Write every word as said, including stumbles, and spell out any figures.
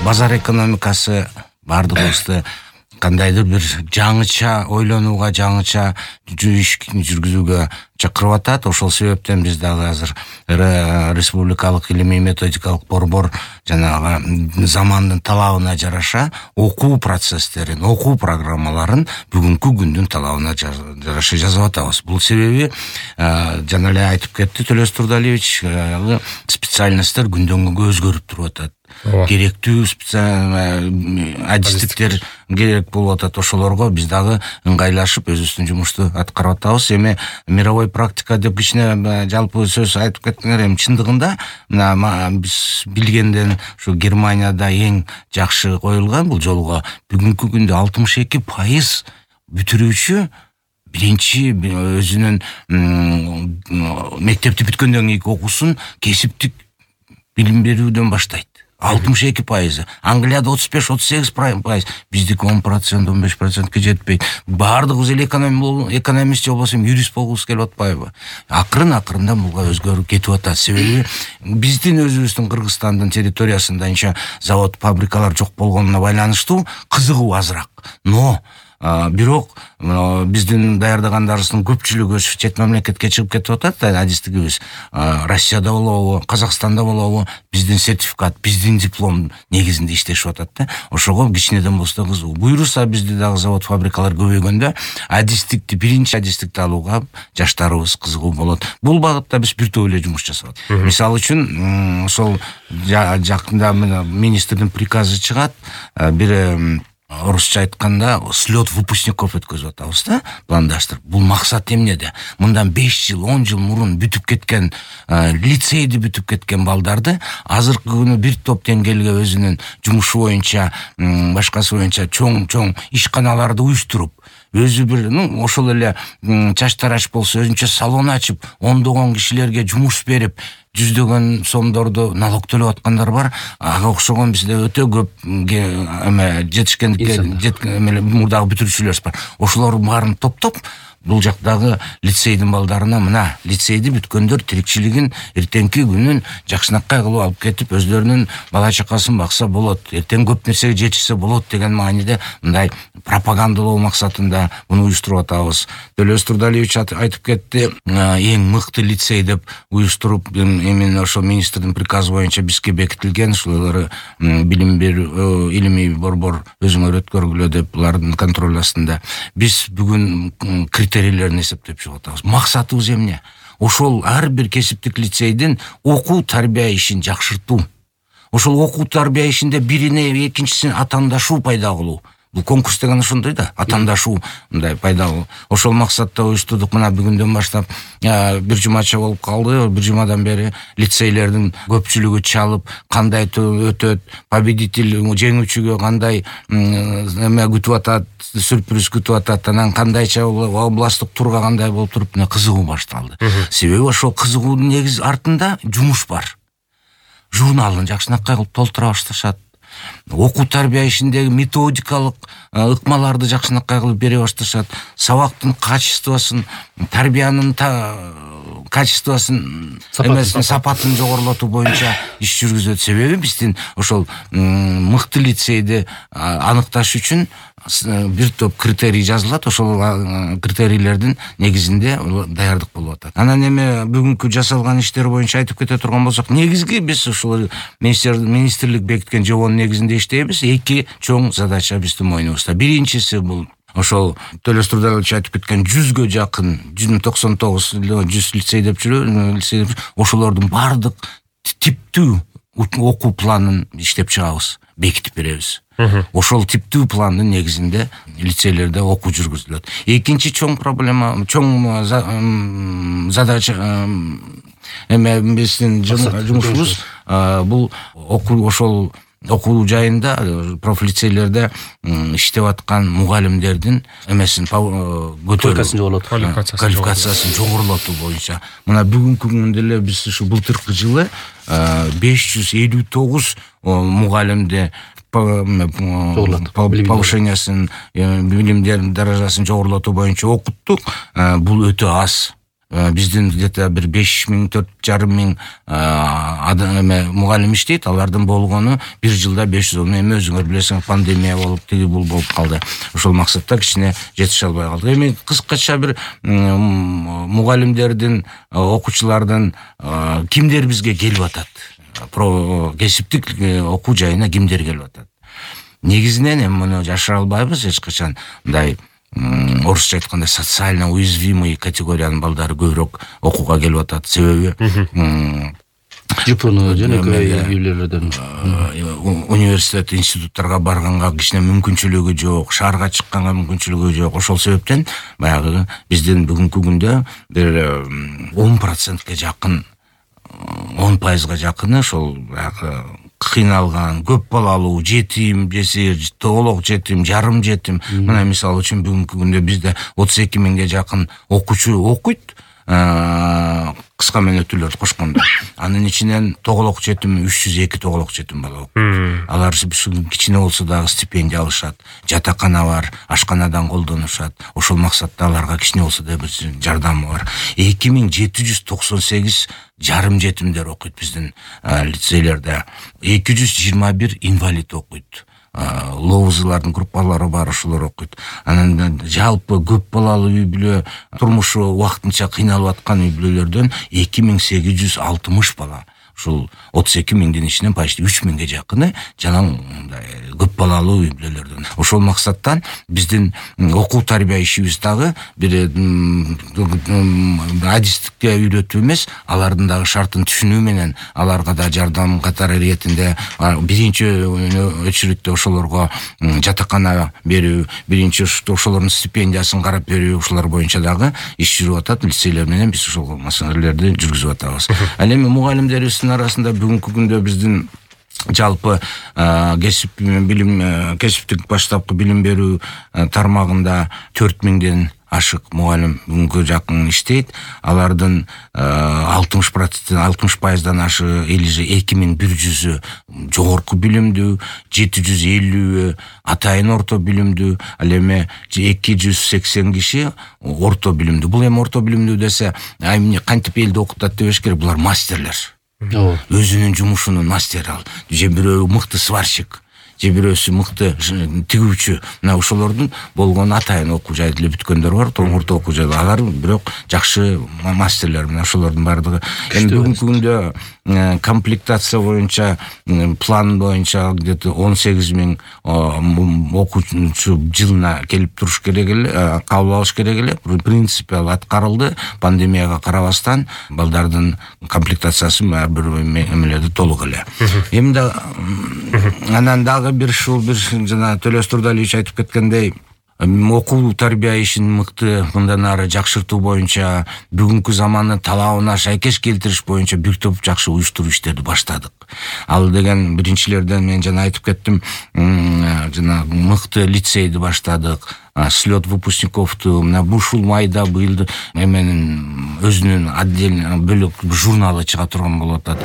базар экономикасы бардыгыбызды кандайдыр бир жаңыча ойлонууга, жаңыча иш жүргүзүүгө чакырып атат. Ошол себептен биз дагы азыр республикалык илимий методикалык борбор жанагы замандын талабына жараша окуу процесстерин, окуу программаларын бүгүнкү күндүн талабына жараша жазып атабыз. Бул себеби жана эле айтып кетти Төлөс Турдалиевич, специальностьтер күндөн күнгө өзгөрүп туруп атат. Керектүү адистиктер керек болуп атат. Ошолорго биз дагы ыңгайлашып өзүбүздүн жумушту аткарып атабыз. Эми мировой практика деп кичине жалпы сөз айтып кеттиңер. Эми чындыгында мына биз билгенден ушу Германияда эң жакшы коюлган бул жолго бүгүнкү күндө алтымыш эки пайыз бүтүрүүчү биринчи өзүнүн мектепти бүткөндөн кийинки окуусун кесиптик билим берүүдөн баштайт. алтымыш эки пайызы. Англияда отуз беш отуз сегиз пайыз. Биздики он процент он беш процентке жетпейт. Бардыгыбыз эле экономист же болбосо юрист болгубуз келип атпайбы? Акырын акырында буга өзгөрүп кетип атат. Себеби биздин өзүбүздүн Кыргызстандын территориясында анча завод, фабрикалар жок болгонуна байланыштуу кызыгуу азыраак. Но бирок биздин даярдагандарыбыздын көпчүлүгү чет мамлекетке чыгып кетип атат. Адистигибиз Россияда болобу, Казакстанда болобу, биздин сертификат, биздин диплом негизинде иштешип атат да. Ошого кичинеден болсо кызыгуу. Буюрса бизде дагы завод, фабрикалар көбөйгөндө адистикти, биринчи адистикти алууга жаштарыбыз кызыгуу болот. Бул багытта биз бир топ эле жумуш жасап атат. Мисалы үчүн ошол жакында министрдин приказы чыгат. Бир орусча айтканда слет выпускников өткөзүп атабыз да, пландаштырып. Бул максат эмнеде? Мындан беш жыл, он жыл мурун бүтүп кеткен, лицейди бүтүп кеткен балдарды азыркы күнү бир топ деңгээлге өзүнүн жумушу боюнча, башкасы боюнча чоң-чоң ишканаларды уюштуруп, өзү бир, ну, ошол эле чач тарач болсо өзүнчө салон ачып, ондогон кишилерге жумуш берип, жүздөгөн сомдорду налог төлөп аткандар бар. Ага окшогон бизде өтө көп эме жетишкендикке мурдагы бүтүрүүчүлөр бар. Ошолор баарын топтоп, бул жактагы лицейдин балдарына мына лицейди бүткөндөр тирикчилигин эртеңки күнүн жакшынакай кылып алып кетип, өзлөрүнүн бала чакасын бакса болот, эртең көп нерсеге жетишсе болот деген мааниде мындай пропагандалоо максатында муну уюштуруп атабыз. Төлөс Турдалиевич айтып кетти, эң мыкты лицей деп уюштуруп, именно ошо министрдин приказы боюнча бизге бекитилген, ушулары билим берүү илимий борбор өзүңөр өткөргүлө деп булардын контроль астында. Биз бүгүн критерийлерин эсептеп чыгып атабыз. Максатыбыз эмне? Ошол ар бир кесиптик лицейдин окуу тарбия ишин жакшыртуу. Ошол окуу тарбия ишинде бирине экинчисине атаандашуу пайда кылуу. Бул конкурс деген ошондой да, атаандашуу мындай пайда кылуу. Ошол максатта уюштурдук. Мына бүгүндөн баштап бир жумача болуп калды. Бир жумадан бери лицейлердин көпчүлүгү чалып, кандай өтөт, победитель жеңүүчүгө кандай эме күтүп атат, сюрприз күтүп атат, анан кандайча областтык турга кандай болуп туруп, мына кызыгуу башталды. Себеби ошол кызыгуунун негиз артында жумуш бар. Журналын жакшынакай кылып толтура башташат. Окуу тарбия ишиндеги методикалык ыкмаларды жакшынакай кылып бере башташат. Сабактын качествосын, тарбиянын качествосын, эмесин сапатын жогорулатуу боюнча иш жүргүзөт. Себеби биздин ошол мыкты лицейди аныкташ үчүн бир топ критерий жазылат. Ошол критерийлердин негизинде даярдык болуп атат. Анан эми бүгүнкү жасалган иштер боюнча айтып кете турган болсок, негизги биз ушул министрлик бекиткен жобонун негизинде иштейбиз. Эки чоң задача биздин мойнубузда. Биринчиси бул ошол Төлөс Турдалиевич айтып кеткен жүзгө жакын, жүз токсон тогуз жүз лицей деп жүрөбүз. Ошолордун бардык типтүү окуу планын иштеп чыгабыз, бекитип беребиз. Ошол типтүү пландын негизинде лицейлерде окуу жүргүзүлөт. Экинчи чоң проблема, чоң задача эме биздин жумушубуз бул окуу ошол окуу жайында профлицейлерде иштеп аткан мугалимдердин эмесин көтөрүү, квалификациясын жогорулатуу боюнча. Мына бүгүнкү күндө эле биз ушу былтыркы жылы беш жүз элүү тогуз мугалимди повышениясын, билимдерин даражасын жогорулатуу боюнча окуттук. Бул өтө аз. Биздин где-то бир беш миң, төрт жарым миң эме мугалим иштейт, алардын болгону бир жылда беш жүз. Эми өзүңөр билесиң, пандемия болуп, тиги бул болуп калды. Ошол максатта кичине жетише албай калдык. Эми кыскача бир мугалимдердин, окуучулардын кимдер бизге келип атат? Про кесиптик окуу жайына кимдер келип атат? Негизинен эми муну жашыра албайбыз эч качан. Мындай орусча айтканда социально уязвимый категориянын балдары көбүрөөк окууга келип атат. Себеби жпн жөнөкөй үйлөрдөн университет, институттарга барганга кичине мүмкүнчүлүгү жок, шаарга чыкканга мүмкүнчүлүгү жок. Ошол себептен баягы биздин бүгүнкү күндө бир он процентке жакын, он пайызга жакыны ошол баягы кыйналган, көп балалуу, жетим, жесир, толук жетим, жарым жетим. Мына мисалы үчүн бүгүнкү күндө бизде отуз эки миңге жакын окуучу окуйт, кыска мөөнөттүүлөрдү кошкондо. Анын ичинен тоголок жетим үч жүз эки тоголок жетим бала окуйт. Алар кичине болсо дагы стипендия алышат, жатакана бар, ашканадан колдонушат. Ошол максатта аларга кичине болсо да бир жардамы бар. эки миң жети жүз токсон сегиз жарым жетимдер окуйт биздин лицейлерде. эки жүз жыйырма бир инвалид окуйт. Лоозылардын группалары бар, ошолор окуйт. Анан жалпы көп балалуу үй бүлө, турмушу убактынча кыйналып аткан үй бүлөлөрдөн эки миң сегиз жүз алтымыш бала. Ушул отуз эки миңдин ичинен почти үч миңге жакыны жана көп балалуу үй бүлөлөрдөн. Ошол максаттан биздин окуу тарбия ишибиз дагы бир адистикке үйрөтүү эмес, алардын дагы шартын түшүнүү менен аларга да жардам катары иретинде биринчи очередте ошолорго жатакана берүү, биринчи ошолордун стипендиясын карап берүү, ушулар боюнча дагы иш жүрүп атат. Лицейлер менен биз ошол маселелерди жүргүзүп атабыз. Ал эми мугалимдерибиздин арасында бүгүнкү күндө биздин жалпы кесип билим, кесиптик баштапкы билим берүү тармагында төрт миңден ашык мугалим бүгүнкү жакын иштейт. Алардын алтымыш процент, алтымыш пайыздан ашы эки миң бир жүзү жогорку билимдүү, жети жүз элүүгө атайын орто билимдүү, ал эми эки жүз сексен киши орто билимдүү. Бул эми орто билимдүү десе, эмне кантип элди окутат дебеш керек, булар мастерлер. Өзүнүн жумушунун мастери ал. Же бирөө мыкты сварщик, же бирөөсү мыкты тигүүчү. Мына ошолордун болгон атайын окуу жайды эле бүткөндөр бар, орто окуу жайды. Алар бирок жакшы мастерлер. Мына ошолордун бардыгы. Эми бүгүнкү күндө комплектация боюнча, план боюнча где-то он сегиз миң окуучу жылына келип туруш керек эле, кабыл алыш керек эле. Принципе аткарылды. Пандемияга карабастан балдардын комплектациясы ар бир эмелерди толук эле. Эми да анан дагы бир ушул бир жана Төлөс Турдалиевич айтып кеткендей, окуу тарбия ишин мыкты мындан ары жакшыртуу боюнча, бүгүнкү замандын талабына шайкеш келтириш боюнча бир топ жакшы уюштуруу иштерди баштадык. Ал деген биринчилерден мен жана айтып кеттим, жана мыкты лицейди баштадык. Слет выпускниковту, мына ушул майда быйыл эменин өзүнүн отдельный бөлөк журналы чыга турган болуп атат.